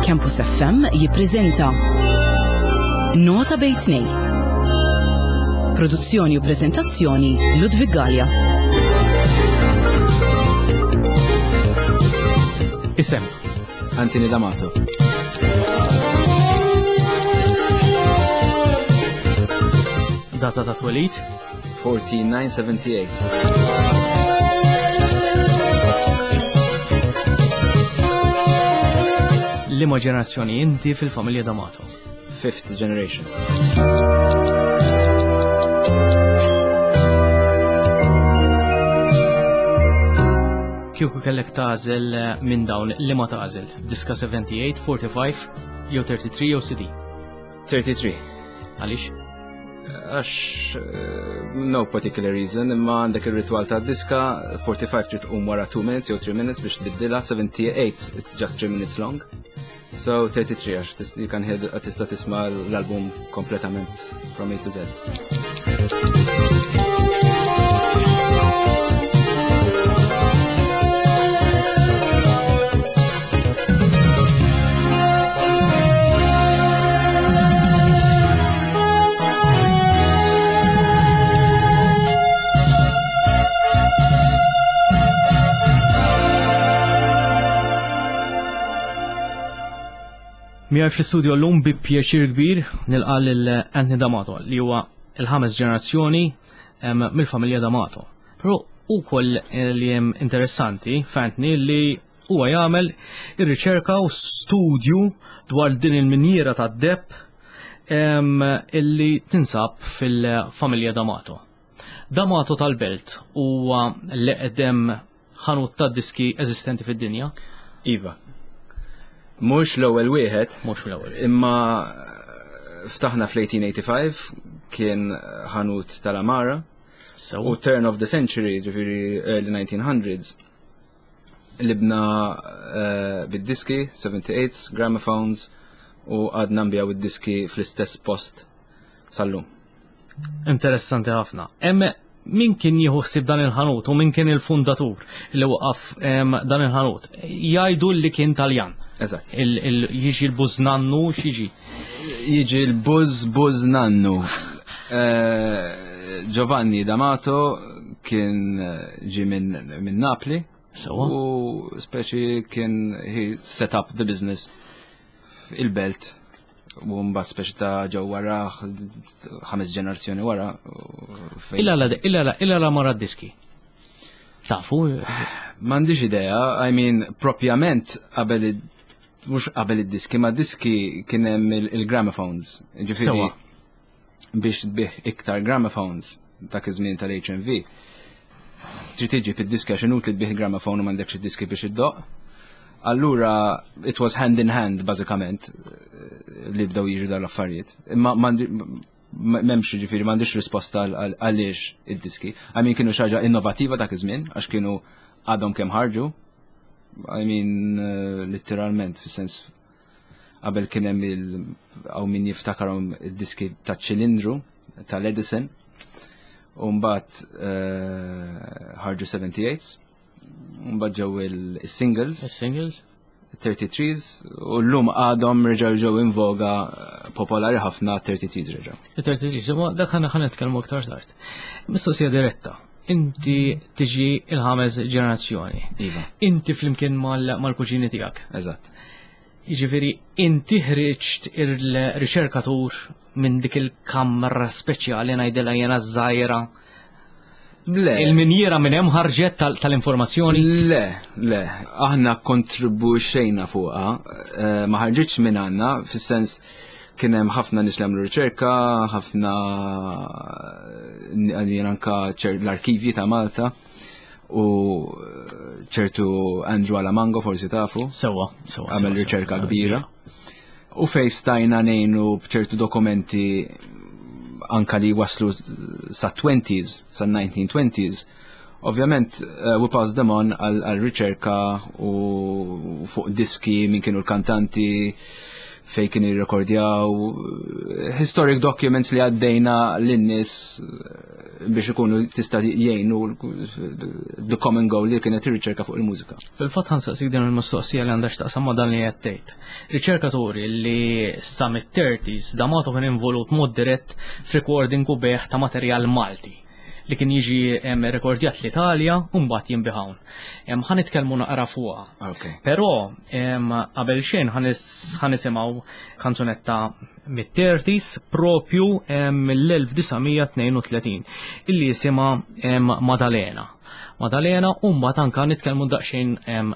Campus FM jippreżenta Nota bejn tnej. Produzzjoni u preżentazzjoni Ludwig Gallia. Isem. Anthony D'Amato. Data ta' twelid. 14978. Liema ġenerazzjoni inti fil-familja D'Amato? Fifth generation. Kieku kellek tagħżel eh, minn dawn li ma tagħżel? Diska 78, 45, jew 33 jew CD? 33. Għaliex? Għax eh, no particular reason, imma għandek ir-ritwal ta' diska, 45 trid tqum wara 2 minutes jew 3 minutes biex tbiddilha, 78 it's just 3 minutes long. So 33 għax you can hear tista' tisma' l-album kompletament from A to Z. Miegħi fl-istudio llum bi pjaċir kbir nilqa' lil Anthony D'Amato li huwa il-ħames ġenerazzjoni mill-familja D'Amato. Però ukoll eh, li hemm interessanti f'Anthony li huwa jagħmel ir-riċerka u studju dwar din il-minjiera tad-deb illi tinsab fil-familja D'Amato. D'Amato tal-Belt huwa l-eqdem ħanut ta' diski eżistenti fid-dinja? Iva. Mhux l-ewwel wieħed. Mhux l-ewwel. Imma ftaħna fl-1885 kien ħanut tal-Amara. So. U turn of the century, ġifieri early 1900s, libna uh, bid-diski, 78s, gramophones, u għadna nbijaw id-diski fl-istess post sal-lum. Interessanti ħafna. Hemm min kien jieħu ħsieb dan il-ħanut u min kien il-fundatur li waqaf dan il-ħanut. Jgħidu li kien Taljan. Eżatt. Jiġi l-bużnannu x'jiġi? Jiġi l-buż bużnannu. Eh, Giovanni D'Amato kien eh, ġi minn Napli. Sewa. U speċi kien he set up the business il-belt u mbagħad speċi ta' ġew wara ħames ġenerazzjoni wara. Illa illa illa la mara diski. Tafu? M'għandix idea, I mean, propjament qabel mhux qabel id-diski, ma diski kien hemm il-gramophones. Ġifieri biex tbih iktar gramophones dak iż-żmien tal-HMV. Trid tiġi id-diski għax inutli tbih gramophone u m'għandekx id-diski biex iddoq. Allura it was hand in hand bażikament li bdew jiġu dawn l-affarijiet. Imma m'hemmx ġifieri m'għandix risposta għaliex id-diski. I mean kienu xi ħaġa innovativa dak iż-żmien għax kienu għadhom kemm ħarġu. I mean eh, literalment fis-sens qabel kien hemm il hawn min jiftakarhom id-diski ta' ċilindru tal-Edison u mbagħad eh, ħarġu 78s u mbagħad ġew il-singles. Il-singles? 33s u llum għadhom reġgħu ġew in voga eh, popolari ħafna 33s reġgħu. Il-33s, imma dak ħana ħana nitkellmu aktar tard. Mistoqsija diretta. Inti tiġi il-ħames ġenerazzjoni. Iva. Inti flimkien mal-kuġini tiegħek. Eżatt. Jiġifieri inti ħriġt il-riċerkatur minn dik il-kamra speċjali ngħidilha jiena żgħira. Le. Il-minjiera minn hemm ħarġet tal-informazzjoni? Le, le. Aħna kontribuxejna fuqha, eh, ma ħarġitx minn għandna, fis-sens kien hemm ħafna nies li għamlu riċerka, ħafna eh, jien anka l-arkivji ta' Malta u eh, ċertu Andrew Alamango forsi tafu. Sewa, sewa. Għamel riċerka kbira. U fej stajna nejnu bċertu dokumenti anka li waslu sa 20s, sa 1920s, ovvjament uh, we passed them on għal riċerka u fuq diski minn kienu l-kantanti. Fejn kien jirrekordjaw historic documents li għaddejna lin-nies biex ikunu tista' jgħinu the common goal li kienet ir-riċerka fuq il-mużika. Fil-fatt ħa nsaqsik din il-mistoqsija li għandha x'taqsam ma' dan li qed tgħid. Riċerkaturi li sa mit-30s D'Amato kien involut mod dirett f'recording u bejgħ ta' materjal Malti li kien jiġi rekordjat l-Italja u mbagħad jinbiegħ hawn. Ħa nitkellmu naqra fuqha. Però qabel xejn ħa nisimgħu kanzunetta mit-30s propju mill-1932 illi jisimha Madalena. Madalena u mbagħad anka nitkellmu daqsxejn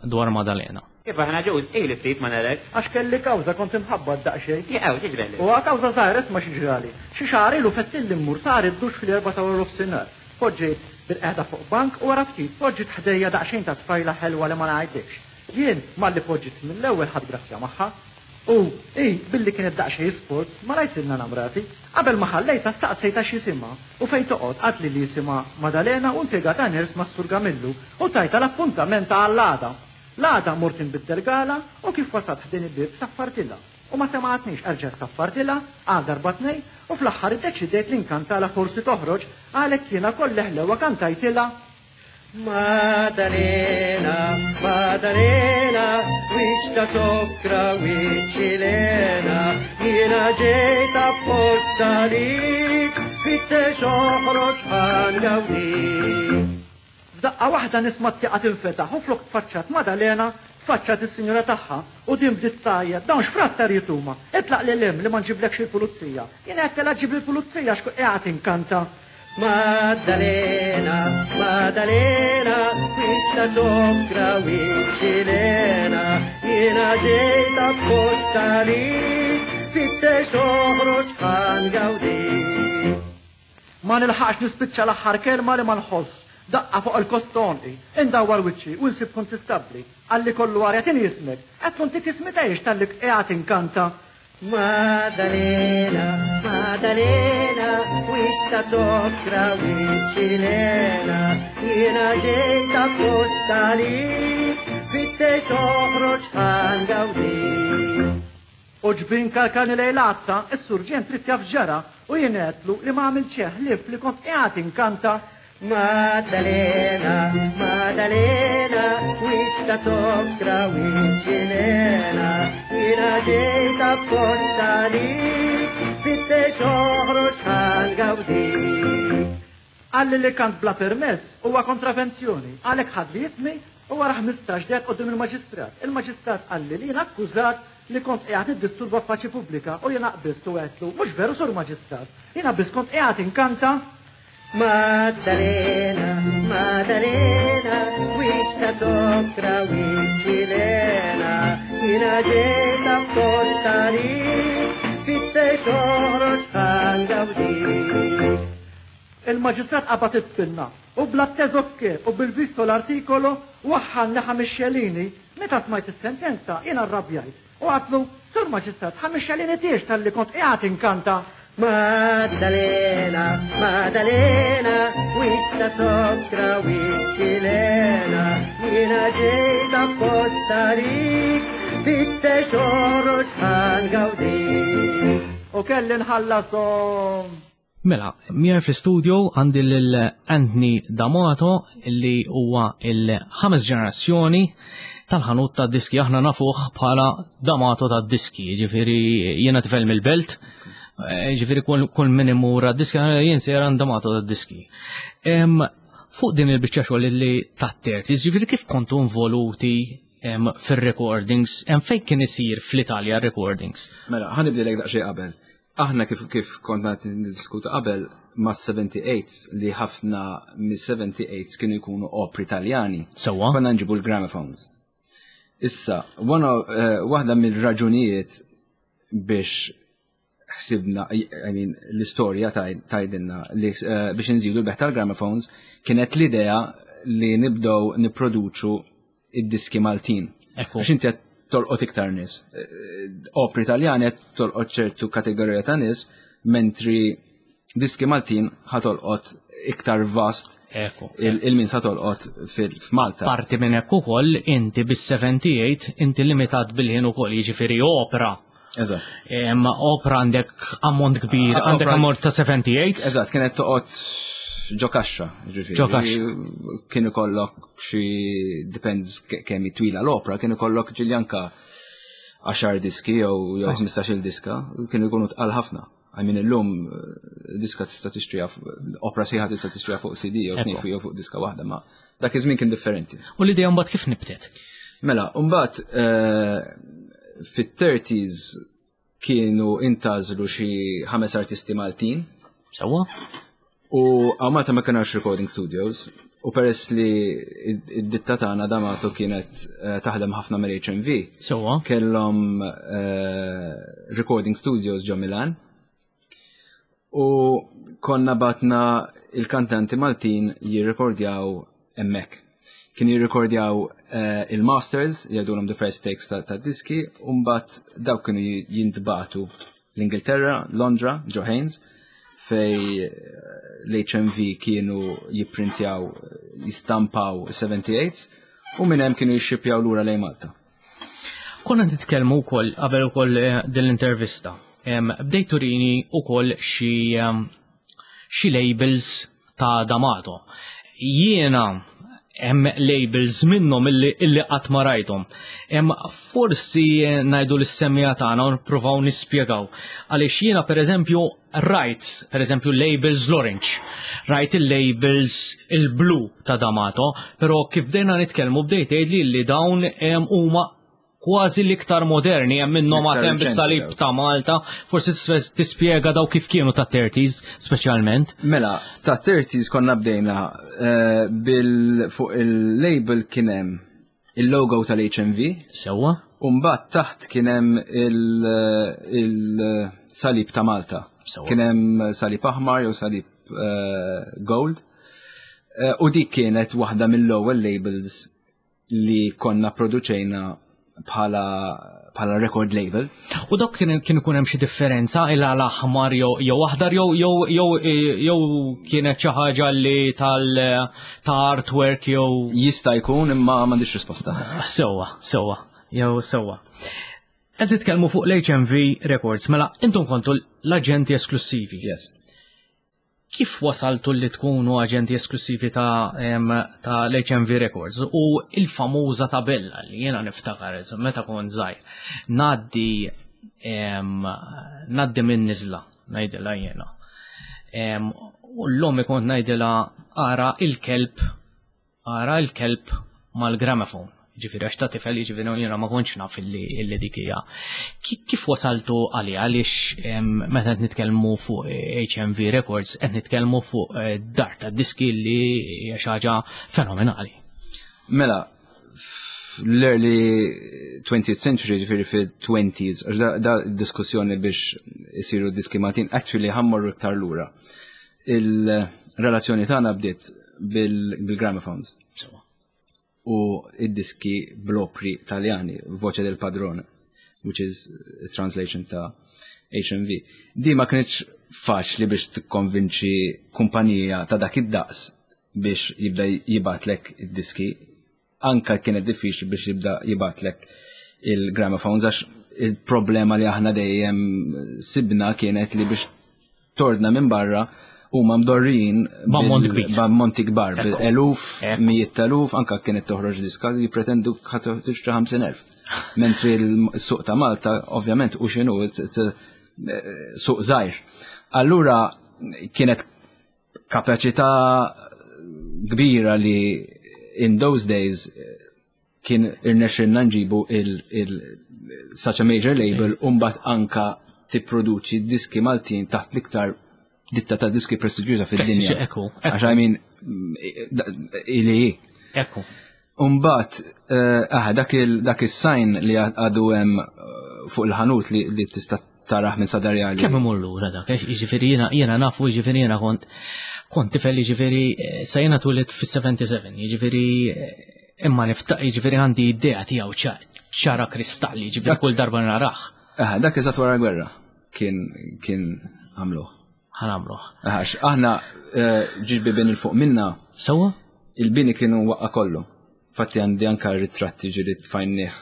dwar Madalena. Kif aħna ġuż, ili ftit ma narek. Għax kelli kawża kont imħabbat daqsxejn. Jaqaw, x'ġralek? Huwa kawża żgħira isma' xi ġrali. Xi xahar ilu fettilli mmur sar id-duxx fl-erbgħa ta' waranofsinhar. Poġġejt bilqiegħda fuq bank u wara ftit poġġiet ħdejja daqsxejn ta' tfajla ħelwa li ma ngħidlikx. Jien, malli poġġiet mill-ewwel ħadt grazzja magħha. U, hi, billi kienet daqsxejn sport, malajr sirna namrati. Qabel ma ħallejtha staqsejtha x'jisimha u fejn toqgħod. Qaltli li jisimha Madalena u impjegata nurse mas-Sur Gamillu u tajtha l-appuntament għall-għada. L-għada mort inbiddel gala u kif wasalt ħdejn il-bieb saffartilha u ma semgħatnix erġajt saffartilha għal darba tnejn u fl-aħħar iddeċidejt li nkantalha forsi toħroġ għalhekk jiena kolli ħlewwa kantajtilha Maddalena, Maddalena, wiċċ ta' sokra, wiċċ Ilena, jiena ġejt apposta għalik, fittex oħroġ ħa ngawdik. F'daqqa waħda nisma' t-tieqa tinfetaħ u flok tfaċċat Madalena, tfaċċat is-sinjura tagħha u din bdiet tgħajjat, Dawn x'frattarijiet huma? Itlaq lil hemm li ma nġiblekx il-pulizija. Jien għedtilha ġibli l-pulizija għax kont qiegħed inkanta. Maddalena, Maddalena, wiċċ ta' sokra, wiċċ Ilena, jiena ġejt apposta għalik, fittex oħroġ ħa ngawdik. Ma nilħaqx nispiċċa l-aħħar kelma li ma nħoss daqqa fuq il-kost t'għonqi. Indawwar wiċċi u nsib kuntistabbli. Qalli kollu arja tini ismek. Għedtlu ntik ismi tgħix talli qiegħed inkanta. Maddalena, Maddalena, wiċċ ta' sokra, wiċċ Ilena, jiena ġejt apposta għalik, fittex oħroġ ħa ngawdik. U ġbin kalkani lejn l-għadsa, is-surġent ried jaf x'ġara u jien għedtlu li ma għamilt xejn ħlief li kont qiegħed inkanta. Maddalena, Maddalena, wiċċ ta' sokra, wiċċ Ilena, jiena ġejt apposta għalik, fittex oħroġ ħa ngawdik. Qalli li kant bla permess huwa kontravenzjoni, għalhekk ħadli ismi u wara 15 dehrt quddiem il-Maġistrat. Il-Maġistrat qalli li jien akkużat li kont qiegħed niddisturba f'paċi pubblika u jiena qbiżt u għedtlu, mhux veru Sur Maġistrat, jiena biss kont qiegħed inkanta. Maddalena, Maddalena, wiċċ ta' sokra, wiċċ Ilena, jiena ġejt apposta għalik, fittex oħroġ ħa ngawdik. Il-Maġistrat qabad it-pinna u bla teżokke u bil-visto l-artikolo waħħalni ħames xelini. Meta smajt is-sentenza jiena rrabjajt u għadtlu, Sur Maġistrat, ħames xelini tiex talli kont qiegħed inkanta. Maddalena, Maddalena, wiċċ ta' sokra, wiċċ Ilena, jiena ġejt apposta għalik, fittex oħroġ ħa ngawdik. U kelli nħallashom. Mela, miegħi fl-istudio għandi lil Anthony D'Amato li huwa il-ħames ġenerazzjoni tal-ħanut ta' diski. Aħna nafuh bħala D'Amato ta' diski, ġifieri jiena tifel mill-belt, eh, ġifieri kull min imur diski jien sejra D'Amato ta' diski. Fuq din il-biċċa xogħol li tat-terzi, ġifieri kif kontu involuti fir-recordings, hemm fejn kien isir fl-Italja recordings? Mela, ħanibdilek daqsxejn qabel. Aħna kif kif konna niddiskutu qabel ma' 78 li ħafna mis-78 kienu jkunu opri Taljani. Sewwa. Konna nġibu l-gramophones. Issa, eh, waħda mill-raġunijiet biex ħsibna, I mean, l-istorja tajdinna li eh, biex nżidu l-beħ tal-gramophones kienet l-idea li nibdew nipproduċu id-diski Maltin. Għax inti qed tolqot iktar nies. Eh, opri Taljani qed tolqot ċertu kategorija ta' nies, mentri diski Maltin ħatolqot iktar vast il-min sa tolqot f'Malta. Parti minn hekk ukoll inti bis-78 inti limitat bil-ħin ukoll jiġifieri opra. Eżatt. Opra għandek ammont kbir, għandek ammont ta' 78. Eżatt, kienet toqgħod ġo kaxxa, ġifieri. Ġo kaxxa. Kien ikollok xi depends kemm twila l-opra, kien ikollok ġiljanka 10 diski jew jew 15-il diska, kienu jkunu tqal ħafna. I mean illum eh, diska tista' tixtriha opra sħiħa tista' tixtriha fuq CD jew tnejn jew fuq diska waħda, ma dak iż-żmien kien differenti. U l-idea mbagħad kif nibtet? Mela, mbagħad eh, fit-30s kienu intażlu xi ħames artisti Maltin. Sewwa. U għaw Malta ma kienx recording studios, u peress li id-ditta tagħna Damato kienet eh, taħdem ħafna mal-HMV. Sewwa. Kellhom eh, recording studios ġo Milan. U konna batna il-kantanti Maltin jirrekordjaw hemmhekk. Kien jirrekordjaw eh, il-masters, jgħidulhom the first takes ta' diski, u mbagħad dawk kienu jintbatu l-Ingilterra, Londra, Joe Haynes, fej eh, l-HMV kienu jipprintjaw, jistampaw 78s, u minn hemm kienu jixxipjaw lura lejn Malta. Konna nitkellmu wkoll qabel ukoll eh, din l-intervista. Bdejt turini wkoll xi xi labels ta' D'Amato. Jiena hemm labels minnhom illi, illi qatt ma rajthom. Hemm forsi ngħidu lis-semmiegħa tagħna u nippruvaw nispjegaw. Għaliex jiena pereżempju rajt, pereżempju labels l-orange, rajt il-labels il-blu ta' D'Amato, però kif bdejna nitkellmu bdejt tgħidli li dawn huma kważi l-iktar moderni hemm minnhom għad hemm bis-salib ta' Malta, forsi tispjega daw kif kienu ta' 30s speċjalment. Mela, ta' 30s konna bdejna eh, bil fuq il-label kien hemm il-logo tal-HMV. Sewwa. U mbagħad taħt kien hemm il-salib ta' Malta. Kien hemm salib aħmar jew salib eh, gold. Eh, u dik kienet waħda mill-ewwel labels li konna produċejna bħala bħala record label. U dok kien kien ikun hemm xi differenza il għal aħmar jew jew aħdar jew jew jew jew kienet xi ħaġa li tal ta' artwork jew Jista' jkun imma m'għandix risposta. Sewwa, sewwa, jew sewwa. Qed titkellmu fuq l-HMV Records, mela intom kontu l-aġenti esklussivi. Yes. Kif wasaltu li tkunu aġenti esklussivi ta' ta' l-HMV Records u il-famuża tabella li jiena niftakar meta kont żgħir ngħaddi ngħaddi minn niżla ngħidilha jiena. U l-ommi kont ngħidilha ara il-kelb Ara l-kelb mal-gramophone. Ġifieri għax ta' tifel jiġifieri jiena ma kontx naf illi illi dik hija. Kif wasaltu għaliha għaliex meta qed nitkellmu fuq HMV Records qed nitkellmu fuq eh, dar ta' diski li hija xi ħaġa fenomenali. Mela, l-early 20th century, ġifieri fil-20s, għax da, da diskussjoni biex isiru diski Maltin, actually ħammorru iktar lura. Il-relazzjoni tagħna bdiet bil-gramophones. U id-diski bl-opri taljani, Voce del Padrone, which is a translation ta' HMV. Di ma kienx faċli biex tikkonvinċi kumpanija ta' dak id-daqs biex jibda jibatlek id-diski anka kienet diffiċli biex jibda jibatlek il-gramophones għax il-problema li aħna dejjem sibna kienet li biex tordna minn barra huma mdorrijin b'ammont kbir. B'ammonti kbar, bil-eluf, mijiet eluf, anka kienet toħroġ diska jippretendu tixtri 50,000. Mentri l-suq ta' Malta, ovvjament, u xinu, suq żgħir. Allura kienet kapaċità kbira li in those days kien irnexxilna nġibu il, il such a major label u mbagħad anka tipproduċi diski Maltin taħt l-iktar ditta ta' diski prestiġjuża fid-dinja. Ekku. Għax I mean, ili. Ekku. Umbat, eh, ah, dak il-sign li għadu hemm eh, fuq il-ħanut li tista' taraħ minn sadarjali. Kemm imur lura dak, jiġifieri jiena jiena nafu jiġifieri jiena kont kont tifel jiġifieri eh, sa jiena twilit fis-77, jiġifieri imma niftaq jiġifieri għandi idea tiegħu ċara kristalli, jiġifieri kull darba narah. Ah, dak eżatt wara l-gwerra kien kien għamluh. Ħanamluh. Għax aħna eh, ġiġ bibien il-fuq minna. Sewa? Il-bini kienu waqqa kollu. Fatti għandi anka ritratti ġiri tfajnih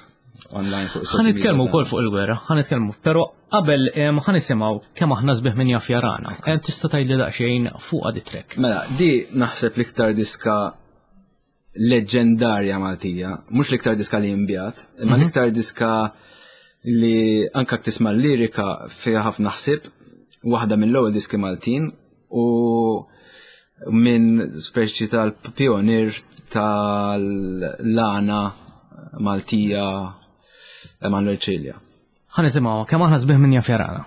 online fuq Ħa nitkellmu wkoll fuq il-gwerra, ħa nitkellmu, però qabel ħa nisimgħu kemm aħna sbieħ min jaf jarana. Tista' tgħidli daqsxejn fuq di track. Mela, di naħseb l-iktar diska leġendarja Maltija, mhux l-iktar diska li jinbjat, imma mhm. l-iktar diska li anka tisma' l-lirika fiha ħafna ħsieb, waħda mill-ewwel diski Maltin u minn speċi tal-pionir tal-lana Maltija Emanuel Cilia. Ħa nisimgħu kemm aħna sbieħ minn jaf jarana.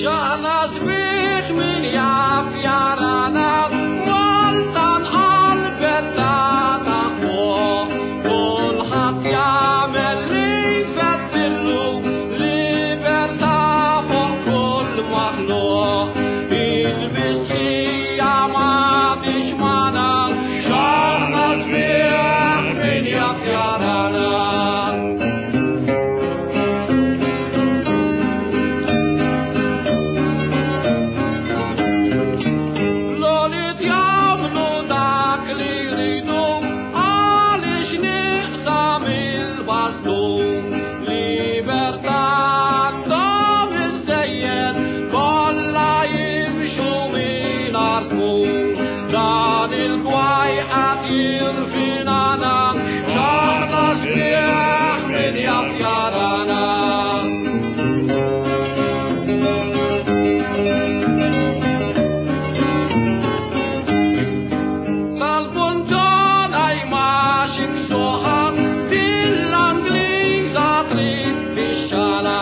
Xaħna sbieħ min jaf jarana Malta nqalbet ta' fuq Kulħadd jagħmel li jfettillu Libertà fuq kull maħluq Il-mistħija m'għadhiex magħna X'aħna sbieħ min jaf jarana L-għoliet jagħmlu dak li jridu għaliex nieqsa mill-bastun Libertà għandhom iżżejjed kollha jimxu mingħajr tmun Dan il-gwaj qed jirfinana x'aħna sbieħ min jaf jarana. Tal-puntona jmax iksuħa Dil-Angliża trid tixxala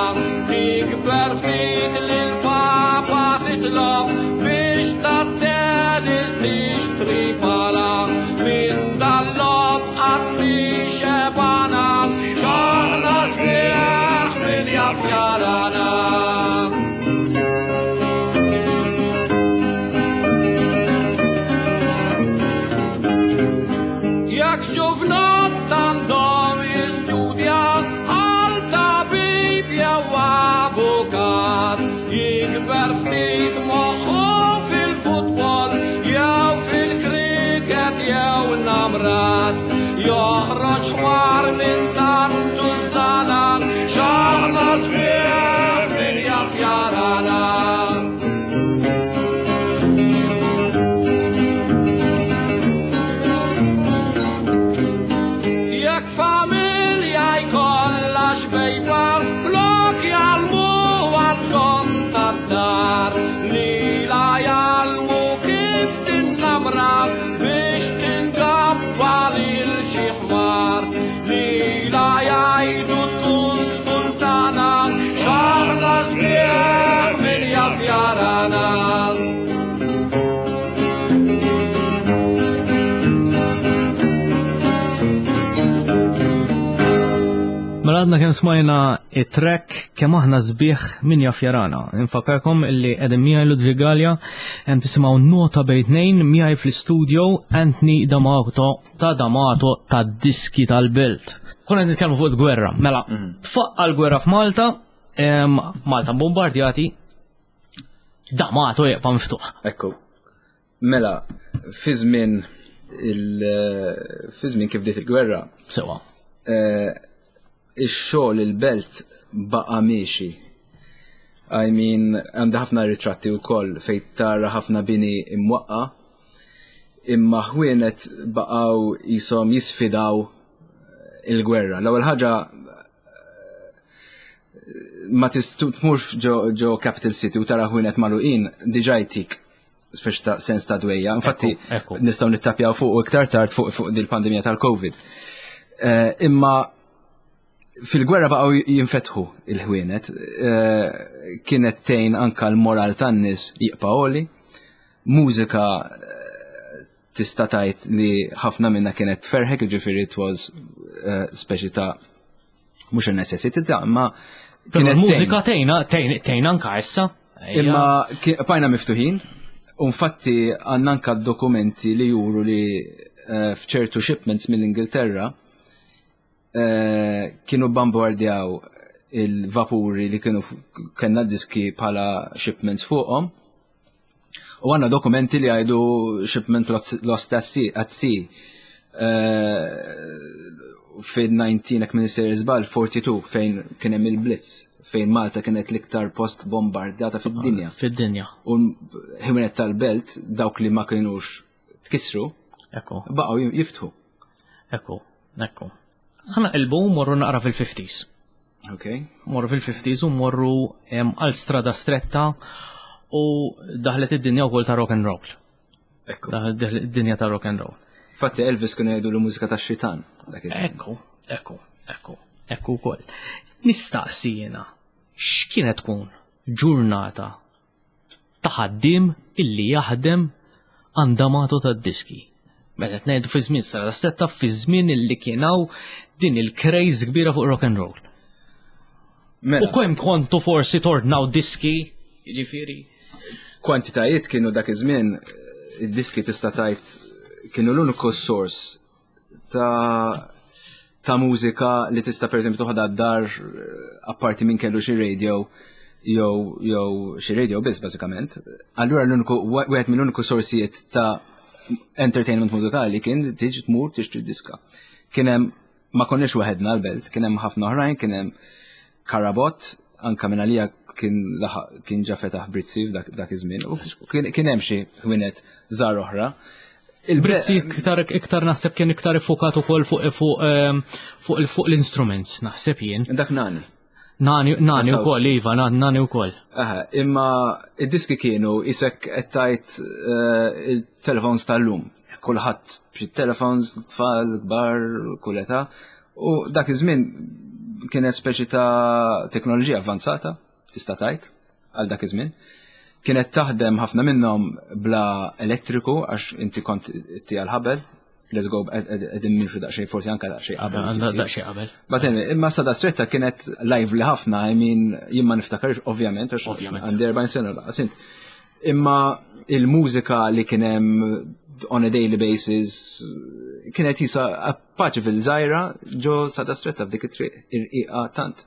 Tikber ftit lill-Papa titlob biex tat-tennis tixtri pala Minn dal-logħob qatt mhi xebgħana X'aħna sbieħ min jaf jarana. Jekk ġuvnott għandhom jistudja għal tabib jew avukat, jikber ftit moħħu fil-futbol jew fil-kriket jew namrat, joħroġ ħmar minn tant tużżana, x'aħna sbieħ min jaf jarana. Jekk familja jkollha xbejba, flok jgħallmu għall-kont tad-dar, lilha jgħallmu kif tinnamra biex tingabba lil xi ħmar. Lilha jgħidu tkun sultana, x'aħna sbieħ min jaf jarana. Mela għadna kemm smajna it-track kemm aħna sbieħ min jaf jarana. Infakkarkom illi qegħdin miegħi Ludwig Galea hemm tisimgħu nota bejn tnejn miegħi fl-istudio Anthony D'Amato ta' D'Amato ta' diski tal-belt. Konna qed nitkellmu fuq il-gwerra. Mela, tfaqqa l-gwerra f'Malta, Malta bombardjati, D'Amato jibqa' miftuħ. Ekku. Mela, fi żmien il fi żmien kif bdiet il-gwerra. Sewa. Eh, ix-xogħol il-belt baqa' miexi. I mean, għandi ħafna ritratti wkoll fejn tara ħafna bini imwaqqa, imma ħwienet baqgħu jisom jisfidaw il-gwerra. L-ewwel ħaġa ma tmurx ġo Capital City u tara ħwienet magħluqin diġà jtik speċi ta' sens ta' dwejja. Infatti, nistgħu nittapjaw fuq u iktar tard fuq fuq dil-pandemija tal-COVID. Eh, imma fil-gwerra baqgħu jinfetħu il-ħwienet, eh, kienet tgħin anka l-moral tan-nies jibqa' għoli, mużika eh, tista' tgħid li ħafna minna kienet tferħek, ġifieri it was speċi ta' mhux a necessity ta' imma kienet mużika tgħinna tgħinna anka issa. Imma bajna miftuħin, u infatti għandna anka dokumenti li juru li eh, f'ċertu shipments mill-Ingilterra eh, kienu bombardjaw il-vapuri li kienu kellna diski bħala shipments fuqhom. U għandna dokumenti li għajdu shipment lost at sea. Fil-19, jekk minn sejjer żball, 42 fejn kien hemm il-Blitz, fejn Malta kienet l-iktar post bombardata fid-dinja. Fid-dinja. U ħwienet tal-belt, dawk li ma kienux tkissru, baqgħu jiftħu. Ekku, ekku. Ħa naqilbu morru naqra fil-50s. Ok. Morru fil-50s u morru għal Strada Stretta u daħlet id-dinja wkoll ta' rock and roll. Ekku. Daħlet id-dinja ta' rock and roll. Fatti Elvis kienu jgħidu l-mużika ta' xitan. Ekku, ekku, ekku, ekku wkoll. Nistaqsi jiena, x'kienet tkun ġurnata ta' ħaddiem illi jaħdem għand D'Amato tad-diski? Meta qed ngħidu fi żmien Strada Stretta, fi żmien illi kien hawn din il-craze kbira fuq rock and roll. Mela. U kemm kontu forsi tordnaw diski, jiġifieri? Kwantitajiet kienu dak iż-żmien, id-diski tista' tgħid kienu l-uniku source ta' mużika li tista' pereżempju toħodha d-dar, apparti minn kellu xi radio jew xi radio biss bażikament. Allura l-uniku wieħed mill-uniku sorsijiet ta' entertainment mużikali kien tiġi tmur tixtri diska. Kien hemm, ma konniex waħedna l-belt, kien hemm ħafna oħrajn, kien hemm Karabot, anka minn għalija kien laħaq, kien ġa fetaħ Brizzi dak iż-żmien, u kien hemm xi ħwienet żgħar oħra. Il-Brizzi iktar naħseb kien iktar iffukat ukoll fuq l-instruments, naħseb jien. Dak Nani. Nani, Nani Saws. ukoll, iva, Nani ukoll. Aha, imma id-diski kienu isek qed tgħid il-telefons tal-lum. Kulħadd b'xi telefons, tfal, kbar, kull età. U dak iż-żmien kienet speċi ta' teknoloġija avvanzata, tista' tgħid, għal dak iż-żmien. Kienet taħdem ħafna minnhom bla elettriku għax inti kont tija l-ħabel. Let's go, qegħdin nimxu daqsxejn, forsi anke daqsxejn qabel. Għandha daqsxejn qabel. But anyway, imma Strada Stretta kienet lively ħafna, I mean, jien ma niftakarx, ovvjament, għax għandi 40 sena laqas int. Imma il-mużika li kien hemm on a daily basis kienet jisa paċi fil-żajra ġo Strada Stretta f'dik it-triq irqiqa tant.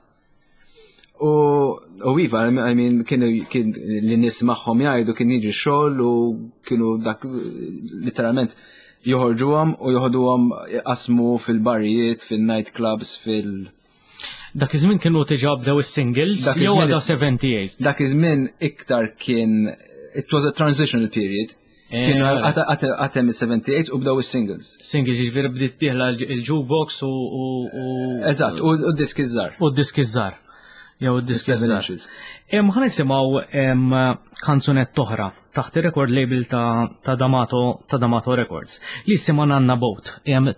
U iva, I mean, kienu, kien li nies magħhom jgħidu kien jiġi xogħol u kienu dak literalment joħorġuhom u joħduhom jqasmu fil-barijiet, fil-night clubs, fil- Dak iż-żmien kienu diġà bdew is-singles, Dak jew iż-żmien għadha is- 78. Dak iż-żmien iktar kien, it was a transitional period. Kienu għatem il-78 u bdew is-singles. Singles, jiġifieri bdiet dieħla il-jukebox u Eżatt, u d-diski żgħar. U d-diski żgħar. Jew d-diski Seven żgħar. inches. Ħa nisimgħu, kanzunett oħra taħt ir-record label ta' D'Amato, ta' D'Amato Records li jisimha Nanna Boat,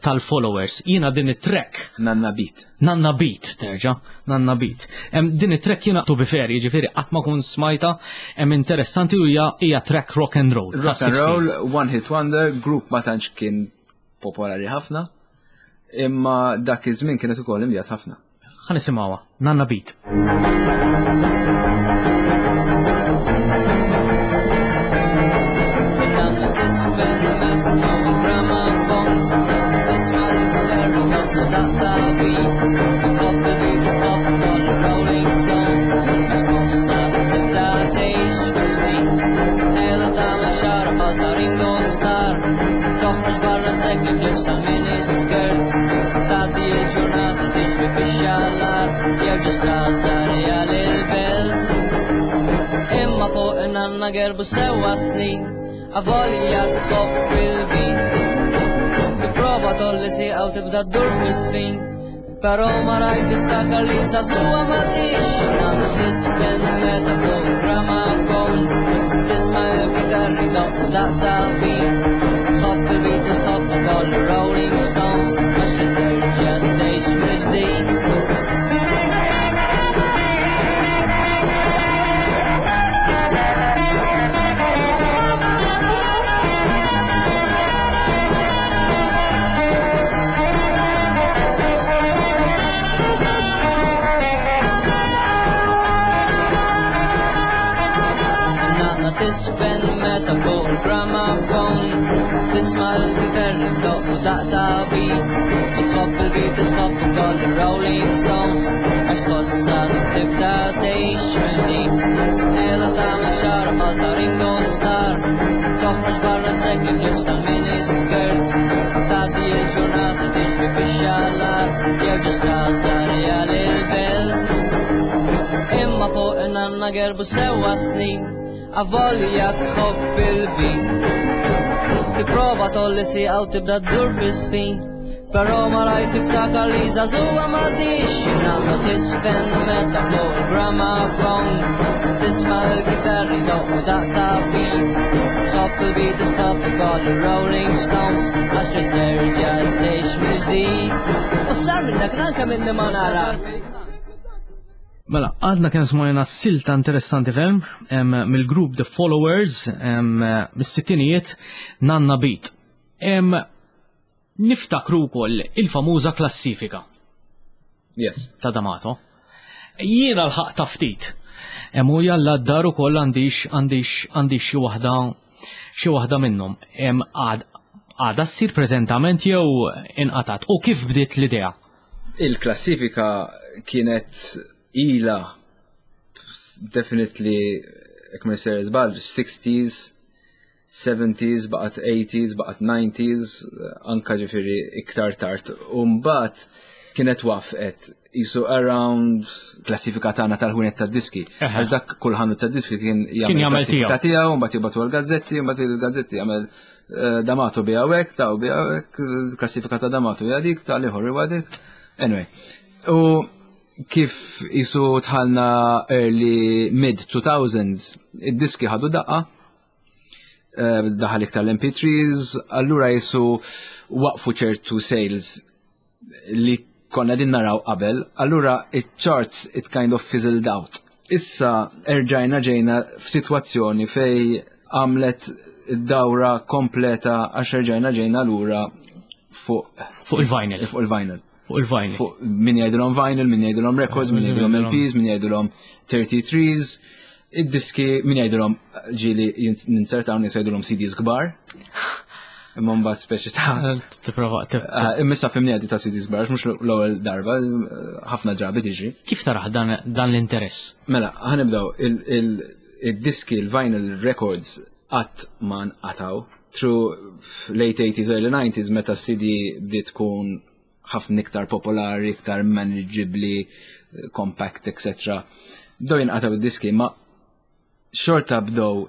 tal-Followers. Jiena din it-track. Nanna Beat. Nanna Beat, terġa', Nanna Beat. Din it-track jiena to be fair, jiġifieri qatt ma kun smajta, interessanti u hija track rock and roll. Rock and roll, one hit wonder, group ma tantx kien popolari ħafna, imma dak iż-żmien kienet ukoll imbjat ħafna. Ħa nisimgħuha, Nanna Beat. Nanna tisfen meta fuq il-gramafon, tisma' l-kitarri doppju daqqa beat, tħobb il-Beatles, tħobb ukoll il-Rolling Stones, għax tħossha tibda tgħix mill-ġdid. Qiegħda tagħmel xagħarha bħal ta' Ringo Starr, toħroġ barra segli b'libsa miniskirt, tgħaddi l-ġurnata tiġri fix-xallar, jew ġo strada real il-belt. Imma fuq in-nanna gerbu sewwa snin, avolja tħobb il-beat. Tipprova tolli sieqa u tibda ddur fis-sfin, però ma rajt tiftakar li żagħżugħa ma tix. Nanna tisfen meta fuq il-gramafon, tisma' il-kitarri doqqu daqqa beat, tħobb il-Beatles, tħobb ukoll il-Rolling Stones, għax trid terġa' tgħix mill-ġdid. Nanna tisfen meta fuq il-gramafon, tisma' l-kitarri doqqu daqqa daq ta' beat. Tħobb il-Beatles, tħobb ukoll il-Rolling Stones, għax tħossha tibda tgħix mill-ġdid. Qiegħda tagħmel xagħarha bħal ta' Ringo Starr, toħroġ barra segli b'libsa mini skirt, tgħaddi l-ġurnata tiġri fix-xalar, jew ġo strada rjali l-belt. Imma fuq in-nanna gerbu sewwa snin, avolja tħobb il-beat. Tipprova tolli sieqa u tibda ddur fis-sfin, però malajr tiftakar li żagħżugħa m'għadhiex. Nanna tisfen meta fuq il-gramophone tisma' l-kitarri doqqu daq ta' beat. Tħobb il-Beatles, tħobb ukoll il-Rolling Stones, għax trid terġa' tgħix mill-ġdid. U sar minnek anke minni ma nara. Mela, għadna kemm smajna silta interessanti ferm mill-grupp The Followers mis-sittinijiet Nanna Beat. Niftakru wkoll il-famuża klassifika. Yes. Ta' D'Amato. Jiena l-ħaq ta' ftit. U jalla d-dar ukoll għandix għandix għandix xi waħda xi waħda minnhom. Għadha ssir preżentament jew inqatgħet? U kif bdiet l-idea? Il-klassifika kienet ila definitely, jekk ma jsir żball, 60s, 70s, baqgħet 80s, baqgħet 90s, anka ġifieri iktar tard. U mbagħad kienet wafqet jisu around klassifika tagħna tal-ħwienet tad-diski. Għax dak kull ħanut tad-diski kien jagħmel klassifika tiegħu, mbagħad jibgħatu għall-gazzetti, mbagħad il-gazzetti jagħmel eh, D'Amato bi hawnhekk, ta' bi hawnhekk, klassifika ta' D'Amato hija dik, ta' liħor huwa dik. Anyway. U kif jisu tħalna early mid 2000s, id-diski ħadu daqqa, eh, daħal iktar l-MP3s, allura jisu waqfu ċertu sales li konna din naraw qabel, allura it-charts it kind of fizzled out. Issa erġajna ġejna f'sitwazzjoni fej għamlet dawra kompleta għax erġajna ġejna lura fuq fuq il-vinyl. Fuq il-vinyl. Fuq il-vinyl. Fuq min jgħidulhom vinyl, min jgħidulhom records, min jgħidulhom LPs, min jgħidulhom 33s. Id-diski min jgħidulhom ġieli ninsertaw nies jgħidulhom CDs kbar. Imma mbagħad speċi ta' eh, tipprova eh, Imma fimni għadi ta' CDs kbar, mhux l-ewwel darba, ħafna drabi tiġi. Kif taraħ dan l-interess? Mela, ħanibdew il-diski, il-vinyl records qatt ma nqataw through late 80s, early 90s meta CD bdiet tkun ħafna iktar popolari, iktar manageably, compact, etc. Bdew jinqataw id-diski, ma xorta bdew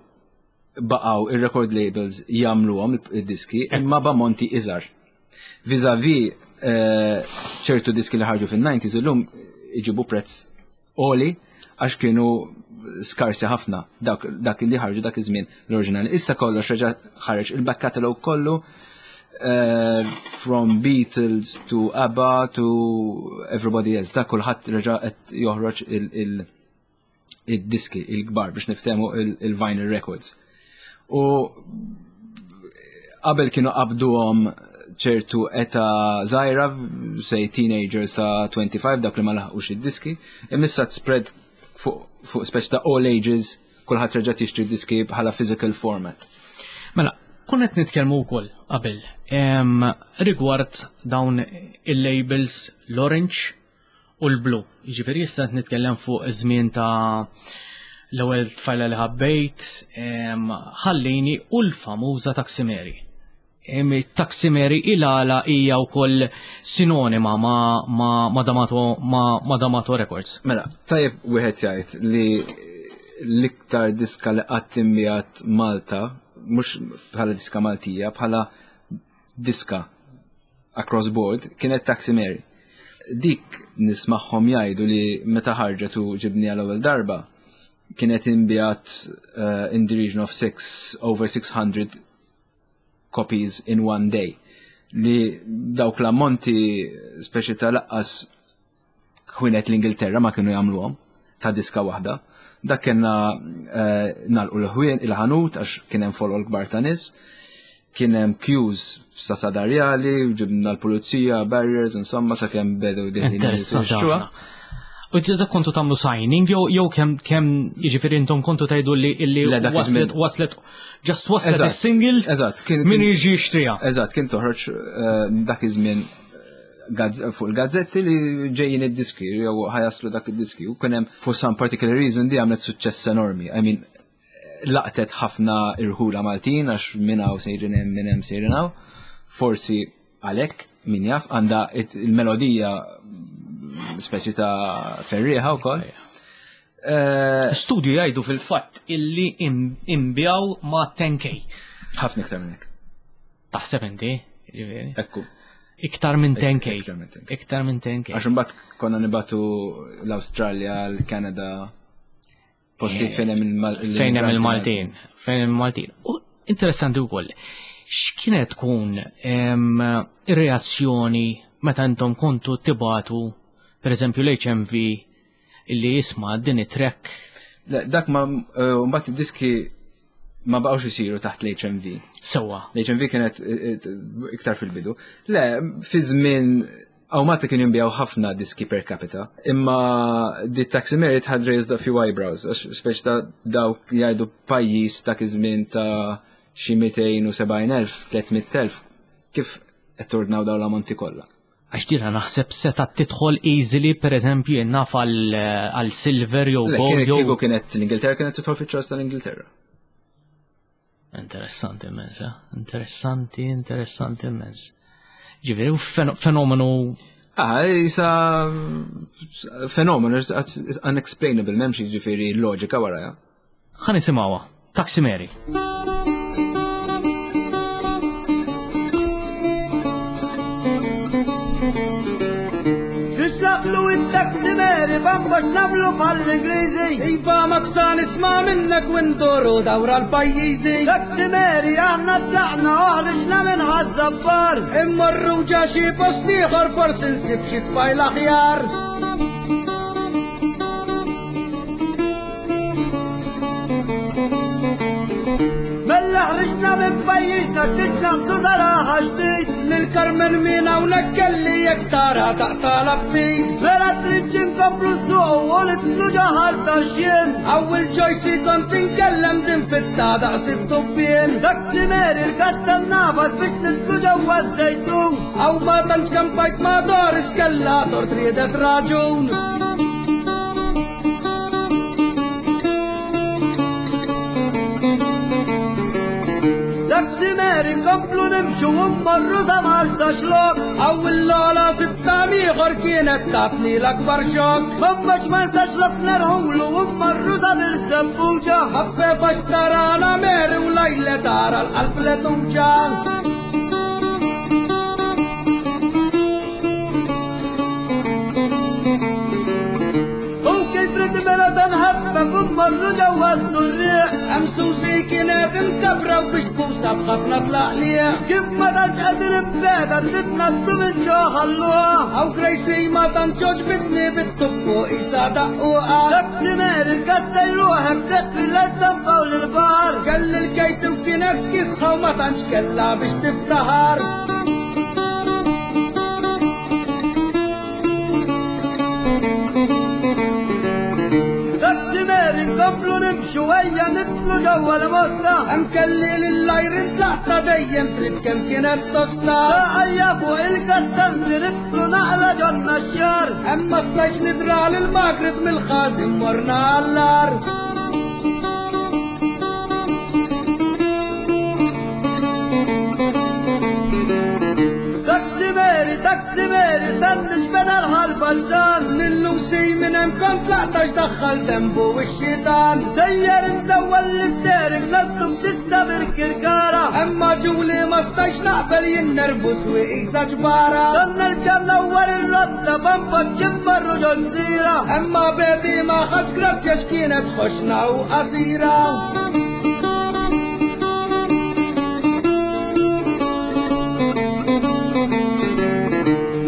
baqgħu ir-record labels jagħmluhom id-diski imma b'ammonti iżgħar. Vis-a-vis eh, ċertu diski li ħarġu fin-90s illum iġibu prezz għoli għax kienu skarsi ħafna dak, dak li ħarġu dak iż-żmien l-oriġinali. Issa kollox reġa' ħareġ il-back catalog kollu uh, from Beatles to ABBA to everybody else. Dak kulħadd reġa' qed joħroġ il-diski il-kbar biex niftehmu il-vinyl records. U qabel kienu qabduhom ċertu eta żgħira, say teenager sa 25 dak li ma laħqux id-diski, imissa spread fuq fu speċ ta' all ages kulħadd reġa' tixtri diski bħala physical format. Mela, konna qed nitkellmu wkoll qabel rigward dawn il-labels l-orange u l-blu. Jiġifieri issa qed nitkellem fuq żmien ta' l-ewwel tfajla li ħabbejt, ħallini u l-famuża Taxi Mary. Taxi Mary il-għala hija wkoll sinonima ma', ma, ma D'Amato, ma, ma D'Amato Records. Mela, tajjeb wieħed jgħid li l-iktar diska li qatt inbiegħet Malta, mhux bħala diska Maltija, bħala diska across board kienet Taxi Mary. Dik nismagħhom jgħidu li meta ħarġet u ġibni għal ewwel darba kienet inbiegħet uh, in the region of six, over 600 copies in one day. Li dawk l-ammonti speċi ta' laqqas ħwienet l-Ingilterra ma kienu jagħmluhom ta' diska waħda. Dak kellna eh, nagħlqu l-ħwien il-ħanut għax kien hemm folol kbar ta' nies. Kien hemm queues sa sadarjali, ġibna l-pulizija, barriers, insomma sakemm bedew diħlin. U dak kontu tagħmlu signing jew jew kemm kemm jiġifieri intom kontu tgħidu li illi waslet waslet just waslet is-single. Eżatt, kien min jiġi jixtriha. Eżatt, kien toħroġ eh, dak iż-żmien eh, fuq il-gazzetti li ġejjin id-diski jew ħajaslu dak id-diski u kien hemm for some particular reason di għamlet suċċess enormi. I mean, laqtet ħafna irħula Maltin għax minn hawn sejrin hemm minn hemm sejrin hawn. Forsi Għalhekk, min jaf, għandha il-melodija speċi ta' ferrieħa wkoll. Eh, Studju jgħidu fil-fatt illi imbjaw ma' 10k. Ħafna iktar minn hekk. Taħseb inti, ġifieri. Ekku. Iktar minn 10k. Iktar minn 10k. Għax imbagħad konna nibatu l-Awstralja, l-Kanada, Postijiet eh, fejn hemm il-Maltin. Fejn hemm il-Maltin. Fejn hemm il-Maltin. U interessanti wkoll, x'kienet tkun ir-reazzjoni meta intom kontu tibatu, per eżempju l-HMV illi jisma' din it-trek? Dak ma eh, mbagħad id-diski ma baqgħux isiru taħt l-HMV. Sewwa. L-HMV kienet eh, eh, iktar fil-bidu. Le, fi żmien Awmati kien jinbijaw ħafna diski per capita, imma di Taxi Merit had raised a few eyebrows, għax speċ ta' dawk jgħidu pajjiż ta' iż-żmien ta' xi 270,000, 300,000, kif qed tordnaw dawn l-ammonti kollha. Għax dina naħseb seta tidħol easily per eżempju naf għal silver jew gold. Kieku kienet l-Ingilterra kienet tidħol fiċ-ċars tal-Ingilterra. Interessanti immens, eh? Interessanti, interessanti immens. Ġifieri, fenomenu. Ah, jisa fenomenu, it's unexplainable, memx ġifieri loġika wara, ja. Ħa nisimgħuha. Taxi Mary. Naqblu it-taxi Mary bambax nagħmlu bħall-Ingliżi. Iva maksa nisma' minnek u nduru dawra l-pajjiżi. Taxi Mary aħna tlaqna u ħriġna minn Ħaż-Żabbar. Immorru ġa xi post ieħor forsi nsib xi tfajla aħjar. Mella ħriġna minn pajjiżna ftit naqsu saraħa ġdid. Lil Carmen min hawnhekk kelli jekk tara taqta' l-aptit. Mela tridx inkomplu ssuq u nidħlu ġo Ħal Tarxien. Hawn il-Joyce kont inkellem din fitta daqs it-tubbien. Taxi Mary l-kassa nafas biex nidħlu ġewwa ż-Żejtun. Hawn ma tantx kampajt ma' Doris kellha tort riedet raġun. Taxi Mary nkomplu nimxu u mmorru sa Marsa Xlokk. Hawn il-Lola sibtha ieħor kienet tatni l-akbar xokk. M'hemmx Marsa Xlokk nerħulu u mmorru sa Birżebbuġa. Ħaffef għax tarana Mary u lajle tara l-qalb le tuġa'. U kif rid mela se nħaffef u mmorru ġewwa s-Surrieq. Hemm Susi kienet imkabra u biex tbusha b'ħafna tlaqliq. Kif ma tantx qegħdin imbegħda trid ngħaddu minn ġo Ħal-Luqa. Hawn Gracie ma tantx għoġbitni bit-tubbu qisha daqquqa. Taxi Mary kassej ruħek tliet fil-San Pawl il-Baħar. Kelli l-Katie u kienet kiesħa u ma tantx kellha biex tiftaħar. Taxi Mary nkomplu nimxu ejja nidħlu ġewwa l-Mosta. Hemm kelli lil Irene tlaqta dejjem trid kemm kienet tosta. Saqajja fuq il-kastanti nidħlu naqra ġonna x-xar. Hemm ma stajtx nidra lil Margaret mill-ħażin morna għall-agħar. Taxi Mary, Taxi Mary, san nixbena l-ħal balzan. Lil-Lucy minn hemm kont tlaqt għax daħħal dembu x-xitan. Sejjer intewwa l-isteering naddu ftit sa Birkirkara. Imma Julie ma stajtx naqbel jien nervus u qisha ġbara. San nerġa' nnawwar ir-rotta b'anfaċċ immarru ġol-gżira. Imma baby ma ħadx grazzja x'kienet ħoxna u qasira.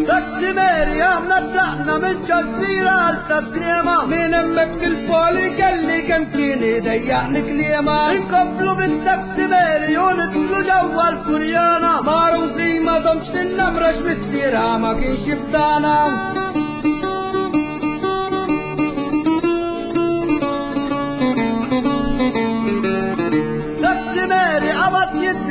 Taxi Mary aħna tlaqna minn ġol-gżira għal Tas-Sliema. Minn hemmhekk il-poli kelli kemm kien idejjaqni kliema. Inkomplu bit-Taxi Mary u nidħlu ġewwa l-Furjana. Ma' Rosie ma domtx ninnamra x'missierha ma kienx jifdana.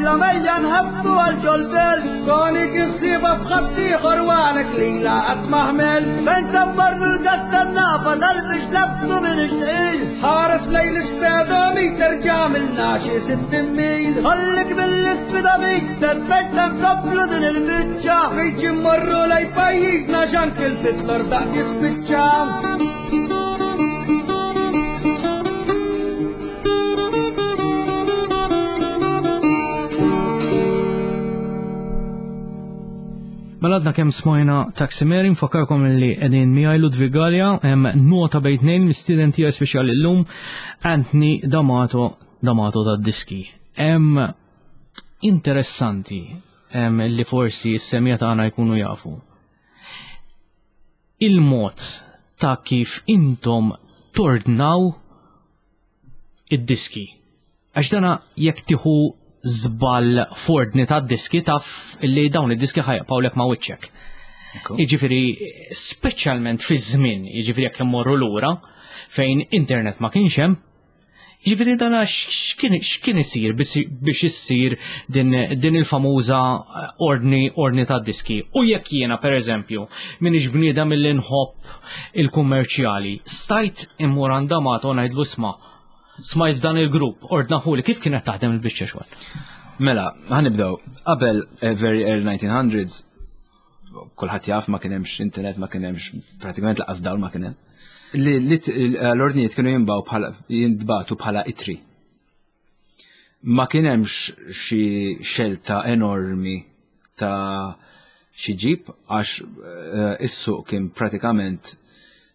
lejla mejja nħaffu għal ġol-belt. Toni kif siba f'ħaddieħor u għalek lila qatt ma ħmel. Fejn se mmorru l-gassa nafas għal biex nafsu minn ixtqil. Ħares lejn l-ispedometer ġamilna xi 60 mil. Ħallik mill-ispedometer fejn se nkomplu din il-biċċa. Rridx immorru lejn pajjiżna x'anki l-fitler daqt jispiċċa. Mela għadna kemm smajna Taxi Mary, nfakkarkom li qegħdin miegħi Ludwig Galea, hemm nota bejn tnejn mistieden tiegħi speċjali llum Anthony D'Amato D'Amato tad-diski. Hemm interessanti li forsi s-semja tagħna jkunu jafu. Il-mod ta' kif intom tordnaw id-diski. Għax dana jekk tieħu żball f'ordni ta' diski taf li dawn id-diski ħajqpawlek ma' wiċċek. Jiġifieri speċjalment fi żmien, jiġifieri jekk immorru lura fejn internet ma kienx hemm, jiġifieri dana x'kien isir biex issir din, din il-famuża ordni ordni ta' diski. U jekk jiena pereżempju minix bniedem milli nħobb il-kummerċjali, stajt immur għand D'Amato ngħidlu isma' Smajt dan il-grupp, ordnaħuli, kif kienet taħdem il-biċċa xogħol? Mela, ħanibdew. Qabel eh, very early 1900s, kulħadd jaf ma kien hemmx internet, ma kien hemmx pratikament laqas dawl ma kien hemm. Eh, l-ordnijiet kienu jinbaw bħala jintbatu bħala itri. Ma kien hemmx xi xelta enormi ta' xi ġib għax eh, is-suq kien pratikament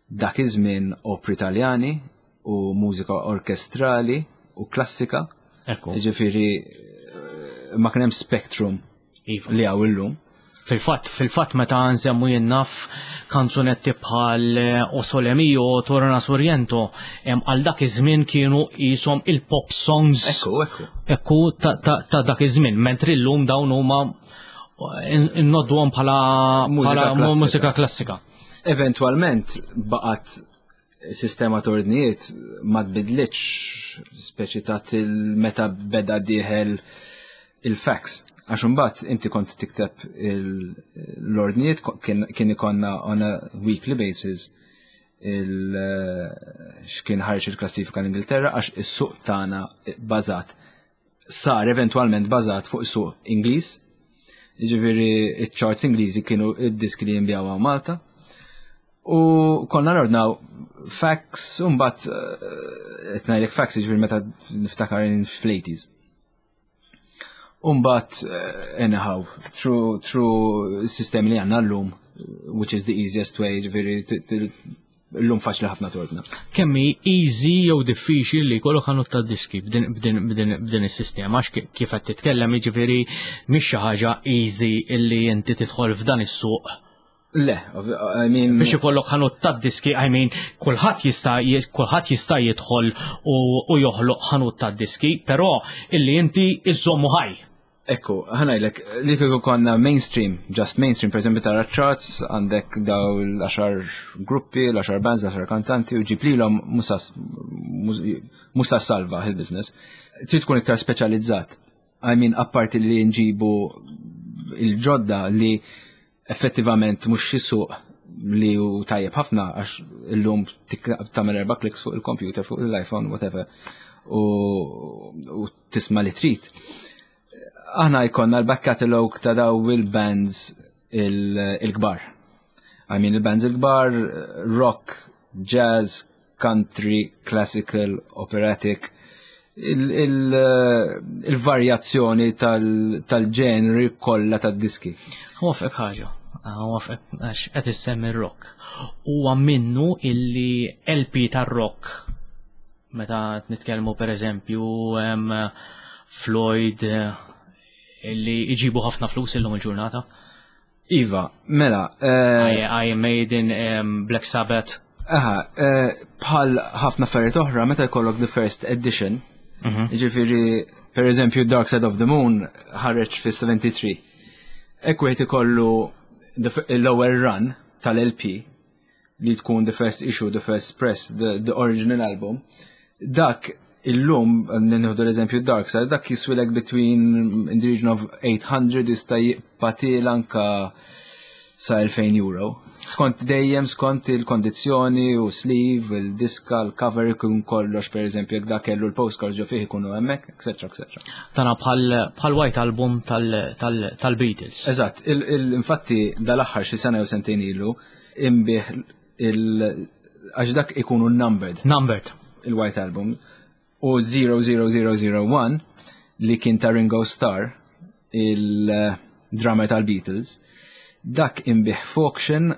dak iż-żmien opri Taljani u mużika orkestrali u klassika. Ekku. Ġifieri eh, ma kien hemm spectrum iva. li hawn illum. Fil-fatt, fil-fatt meta nsemmu jien naf kanzunetti bħal eh, O Sole Mio, Torna Sorrento, għal dak iż-żmien kienu qishom il-pop songs. Ekku, ekku. Ekku ta', ta, ta dak iż-żmien, mentri llum dawn huma eh, innodduhom bħala mużika klassika. Eventwalment baqgħet Sistema ta' ordnijiet ma tbidlitx speċi ta' meta beda dieħel il-fax. Għax imbagħad inti kont tikteb l-ordnijiet kien ikonna on a weekly basis il x'kien ħarġ il-klassifika l-Ingilterra għax is-suq tagħna bażat sar eventwalment bażat fuq suq Ingliż. Jiġifieri iċ-charts Ingliżi kienu id-diski li jinbjaw Malta. U konna nordnaw fax, u mbagħad eh, qed ngħidlek fax jiġifieri meta niftakar fl-80s. U mbagħad eh, anyhow, through through sistemi li għandna llum, which is the easiest way, jiġifieri llum faċli ħafna tordna. Kemm hi easy jew diffiċli li jkollok ħanut ta' diski b'din is-sistema għax kif qed titkellem jiġifieri mhix xi ħaġa easy illi inti tidħol f'dan is-suq. Le, I mean. Biex ikollok ħanut ta' diski, I mean, kulħadd jista' kulħadd jista' jidħol u joħloq ħanut ta' diski, però illi inti iżommu ħaj. Ekku, ħanajlek, li kieku konna mainstream, just mainstream, per esempio tara charts, għandek daw l-10 gruppi, l-10 bands, l-10 kantanti, u ġib lilhom musa salva il-business. Trid tkun iktar speċjalizzat. I mean, apparti li nġibu il-ġodda li effettivament mhux xi suq li hu tajjeb ħafna għax illum tagħmel erba' kliks fuq il-computer, fuq l-iPhone, whatever, u, u tisma' li trid. Aħna jkollna l-back catalog ta' daw il-bands il-kbar. I mean il-bands il-kbar, rock, jazz, country, classical, operatic, il-varjazzjoni tal-ġenri kollha tad-diski. Wafqek ħaġa, wafqek għax qed issemmi rock. Huwa minnu illi LP tar-rock meta nitkellmu pereżempju Floyd illi iġibu ħafna flus illum il-ġurnata. Iva, mela. Eh, Iron Maiden, Black Sabbath. Aha, eh, bħal ħafna affarijiet oħra, meta jkollok the first edition, mhm. ġifieri, per eżempju, Dark Side of the Moon ħareġ fis-73. Ekk wieħed ikollu l-lower run tal-LP li tkun the first issue, the first press, the, the original album, dak Illum, nieħdu l-eżempju Dark Side, dak jiswilek between in the region of 800 jista' jibqa' anka sa 2000 euro. Skont dejjem skont il-kondizzjoni u sleeve, il-diska, il-cover ikun kollox, per eżempju, jekk dak kellu l-postcards ġo fih ikunu hemmhekk, etc. etc. Tana bħal White Album tal-Beatles. Eżatt, infatti dal-aħħar xi sena jew sentejn ilu imbih il għax dak ikunu numbered. Numbered. Il-White Album. U 00001 li kien ta' Ringo Starr, il-drummer tal-Beatles, dak imbih f'auction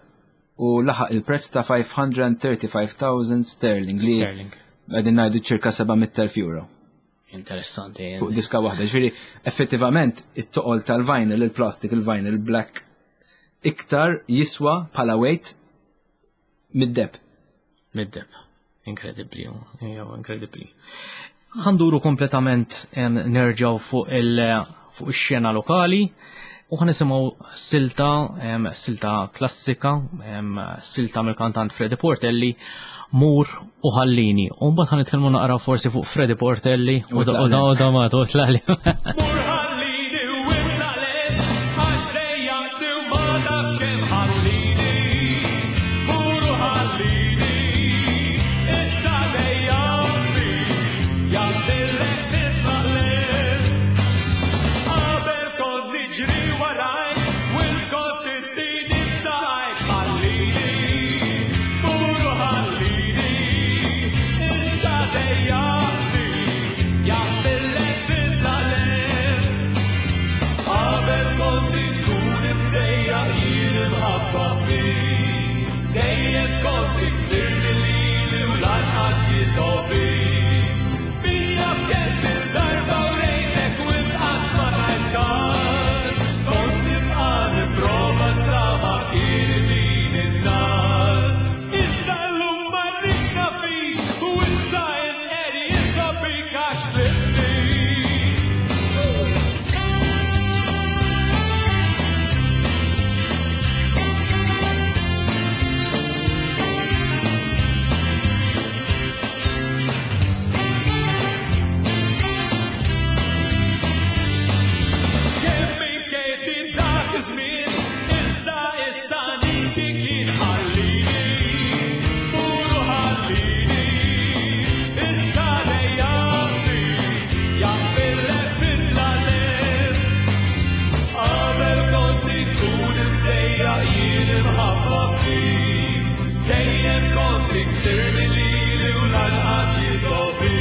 u laħaq il-prezz ta' 535,000 sterling. Li Sterling. Għedin ngħidu ċirka 700,000 euro. Interessanti. Fuq diska waħda. Ġifieri, effettivament, it-toqol tal-vinyl, il-plastic, il-vinyl, il-black, iktar jiswa bħala weight mid-deb. Mid-deb. Incredibli, jew incredibli. Ħanduru kompletament nerġaw fuq il fuq ix-xena lokali u ħanisimgħu silta silta klassika, silta mill-kantant Freddy Portelli, Mur u ħallini. U mbagħad ħanitkellmu naqra forsi fuq Freddy Portelli u Damato u tlali. Mur ħallini u itlaqleb, għax dejjaqtni u ma nafx kemm ħallini. Mur u ħallini, issa dejjaqtni, jaqbillek titlaqleb. Qabel kont niġri warajk, u kont ittini b'saqajk, ħallini, mur u ħallini, issa dejjaqtni, jaqbillek titlaqleb. Qabel kont inkun imdejjaq jien imħabba fik, dejjem kont tiksirni lili u lanqas jisofi. Fija f'kemm il-darba u rejtek u inqatt ma tajt każ, kont nibqa' nipprova sa ma kien idin in-nas. Iżda llum ma rridx nafik u issa inqer jisobik għax tlifni. Kemm inkejti dak iż-żmien, iżda issa niki kien ħallini, puru ħallini, issa dejjaqni, jaqbillek titlaqleb. Qabel kont inkun imdejjaq jien imħabba fik, dejjem kont tiksirni lili u lanqas jisofi.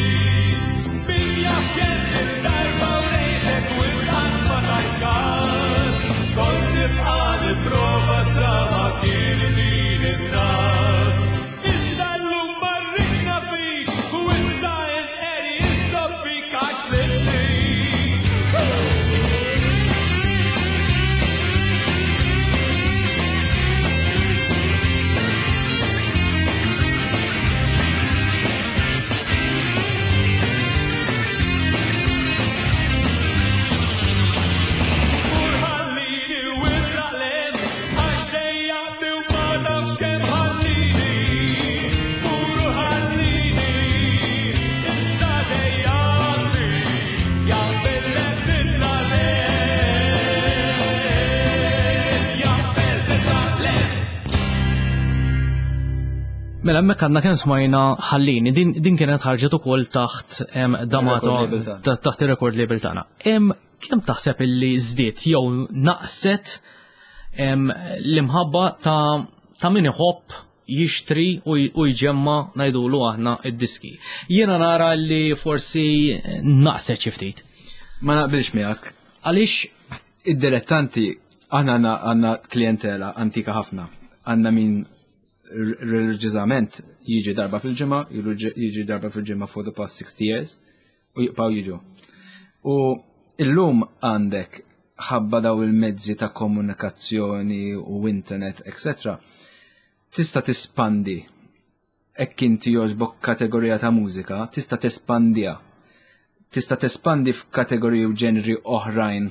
Min jaf kemm il-darba u rejtek u inqatt ma tajt każ, kont nibqa' nipprova sa ma kien idin in-nas. Iżda llum ma rridx nafik u issa inqer jisobbik għax tlifni. Mur ħallini u itlaqleb, għax dejjaqtni u ma nafx kemm ħallini. Mur u ħallini, issa dejjaqtni, jaqbillek titlaqleb, jaqbel titlaqleb. Mela hemmhekk għandna kemm smajna ħallini, din kienet ħarġet ukoll taħt Damato, Il-record label tagħna. taħt ir-record label tagħna. Kemm taħseb illi żdiet jew naqset l-imħabba ta' min iħobb jixtri u jġemma ngħidulu aħna id-diski. Jiena nara li forsi naqset xi ftit. Ma naqbilx miegħek. Għaliex id-dilettanti aħna għandna klientela antika ħafna. Għandna min reliġjużament jiġi darba fil-ġimgħa, jiġi darba fil-ġimgħa for the past 60 years u jibqgħu jiġu. U illum għandek ħabba daw il-mezzi ta' komunikazzjoni u internet, eccetera, tista' tispandi hekk inti jogħġbok kategorija ta' mużika, tista' tespandiha. Tista' tespandi f'kategoriji u ġenri oħrajn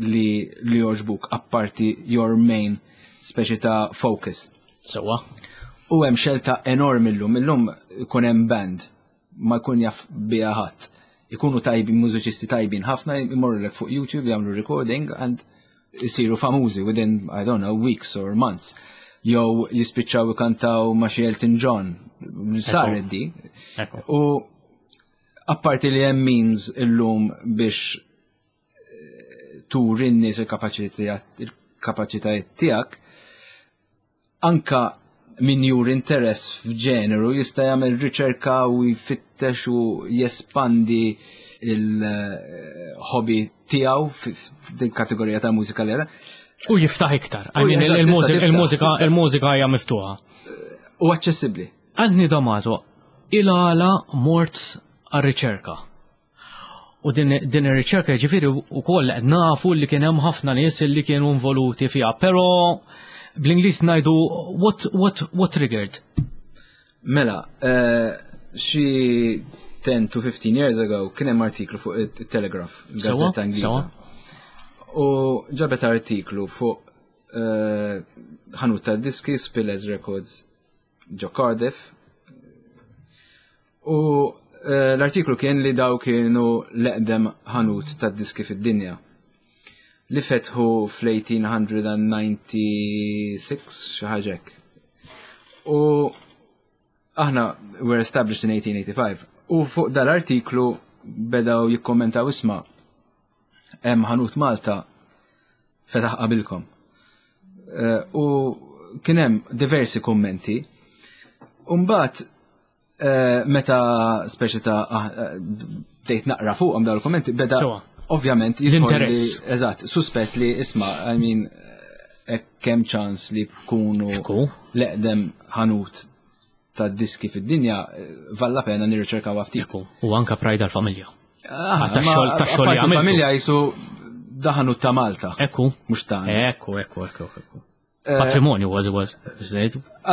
li jogħġbuk apparti your main speċi ta' focus. Sewwa. U hemm xelta enormi llum. Illum ikun hemm band. ma jkun jaf biha ħadd. Ikunu tajbin, mużiċisti tajbin ħafna, imorru fuq YouTube jagħmlu recording and isiru famużi within, I don't know, weeks or months. Jew jispiċċaw ikantaw ma' xi Elton John. Saret di. U apparti li hemm means illum biex turi n-nies il-kapaċitajiet tiegħek, anka min juri interess f'ġeneru jista' jagħmel riċerka u jfittex u jespandi il-hobby tiegħu f'din kategorija ta' mużika li U jiftaħ iktar. I mean, il-mużika hija miftuħa. U aċċessibbli. Anthony D'Amato, il-għala mort għar-riċerka. U din, din ir-riċerka ġifieri wkoll nafu li kien hemm ħafna nies li kienu involuti fiha, però bl-Ingliż ngħidu what, what, what triggered? Mela, xi 10 to 15 years ago kien hemm artiklu fuq it-Telegraph, gazzetta Ingliża. U ġabet artiklu fuq ħanut ta' diski Spillers Records ġo Cardiff. U l-artiklu kien li daw kienu l-eqdem ħanut ta' diski fid-dinja. Li fetħu fl-1896 xi ħaġa hekk. U aħna were established in 1885. U fuq dal-artiklu bedaw jikkommentaw isma' hemm ħanut Malta fetaħ qabilkom. U kien hemm diversi kummenti. U mbagħad meta speċi ta' bdejt naqra fuqhom dawn il-kummenti, beda ovvjament l-interess. Eżatt, suspett li isma', I mean, kemm ċans li kunu l-eqdem ħanut ta' diski fid-dinja, valla pena nirriċerkaw ftit. U anka pride għal-familja. Ta' xogħol ta' xogħol jagħmel. Familja jisu daħanu ta' Malta. Ekku. Mhux ta' Ekku, ekku, ekku, ekku. Patrimonju kważi kważi.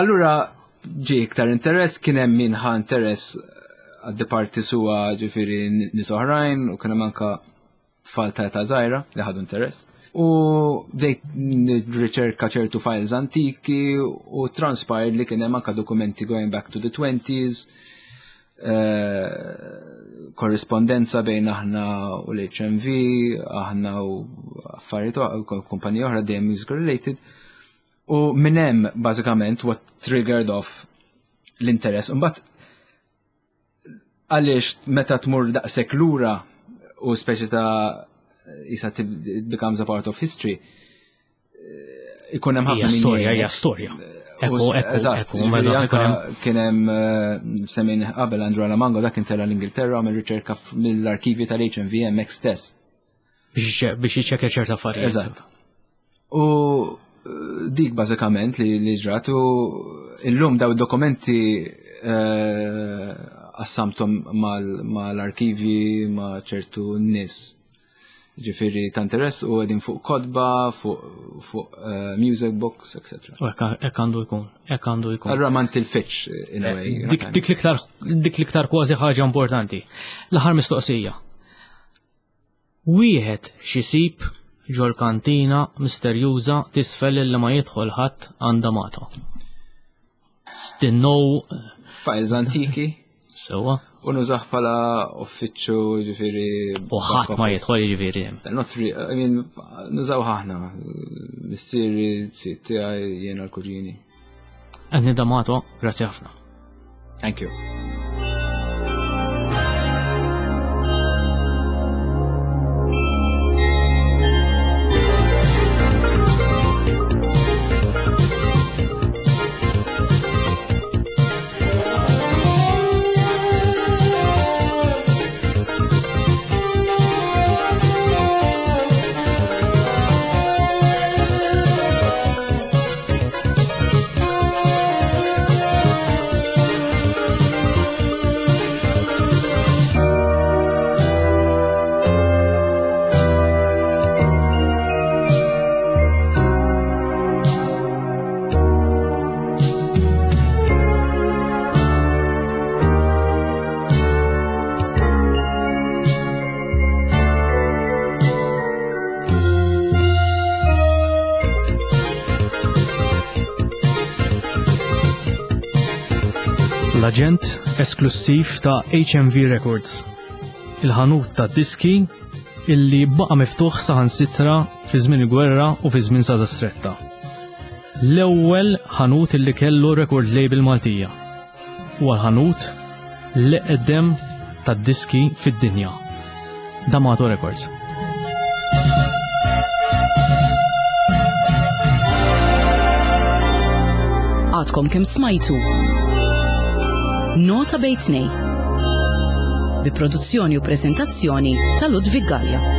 Allura ġie iktar interess, kien hemm min ħa interess għad-departi suwa ġifieri nies oħrajn u kien hemm anka tfal ta' età żgħira li ħadu interess. U bdejt nirriċerka ċertu files antiki u transpired li kien hemm anka dokumenti going back to the 20s, korrespondenza bejn aħna u l-HMV, aħna u affarijiet kumpaniji oħra dejjem music related. U minn hemm bażikament what triggered off l-interess. Imbagħad għaliex meta tmur daqshekk lura u speċi ta' isa it becomes a part of history, ikun hemm ħafna storja, hija storja. Ekku, ekku, ekku, kien hemm semmin qabel Andrew Alamango dak intela l-Ingilterra għamel riċerka mill-arkivi tal-HMV hemmhekk stess. Biex jiċċekkja ċerta affarijiet. Eżatt. U dik bażikament li ġrat u illum daw dokumenti qassamthom mal-arkivi ma' ċertu nies. Ġifieri ta' interess u qegħdin fuq kotba, fuq music books, etc. U hekk għandu jkun, hekk għandu jkun. Allura ma ntilfitx in a way. Dik l-iktar kważi ħaġa importanti. L-aħħar mistoqsija. Wieħed x'isib ġol-kantina misterjuża tisfel li ma jidħol ħadd għand D'Amato. Stinnow. Files antiki. Sewa. U nużah bħala uffiċċju ġifieri. U ħadd ma jidħol ġifieri. Not really, I mean, nużaw ħaħna. Missieri, sitt tiegħi, jiena l-kuġini. Anthony D'Amato, grazzi ħafna. Thank you. L-aġent esklussiv ta' HMV Records, il-ħanut ta' diski illi baqa' miftuħ saħansitra fi żmien il-gwerra u fi żmien Sada Stretta. L-ewwel ħanut illi kellu record label Maltija. Huwa l-ħanut l-eqdem tad-diski fid-dinja. D'Amato Records. Għadkom kemm smajtu. Nota bejn tnej. Bi produzzjoni u prezentazzjoni ta' Ludwig Gallia.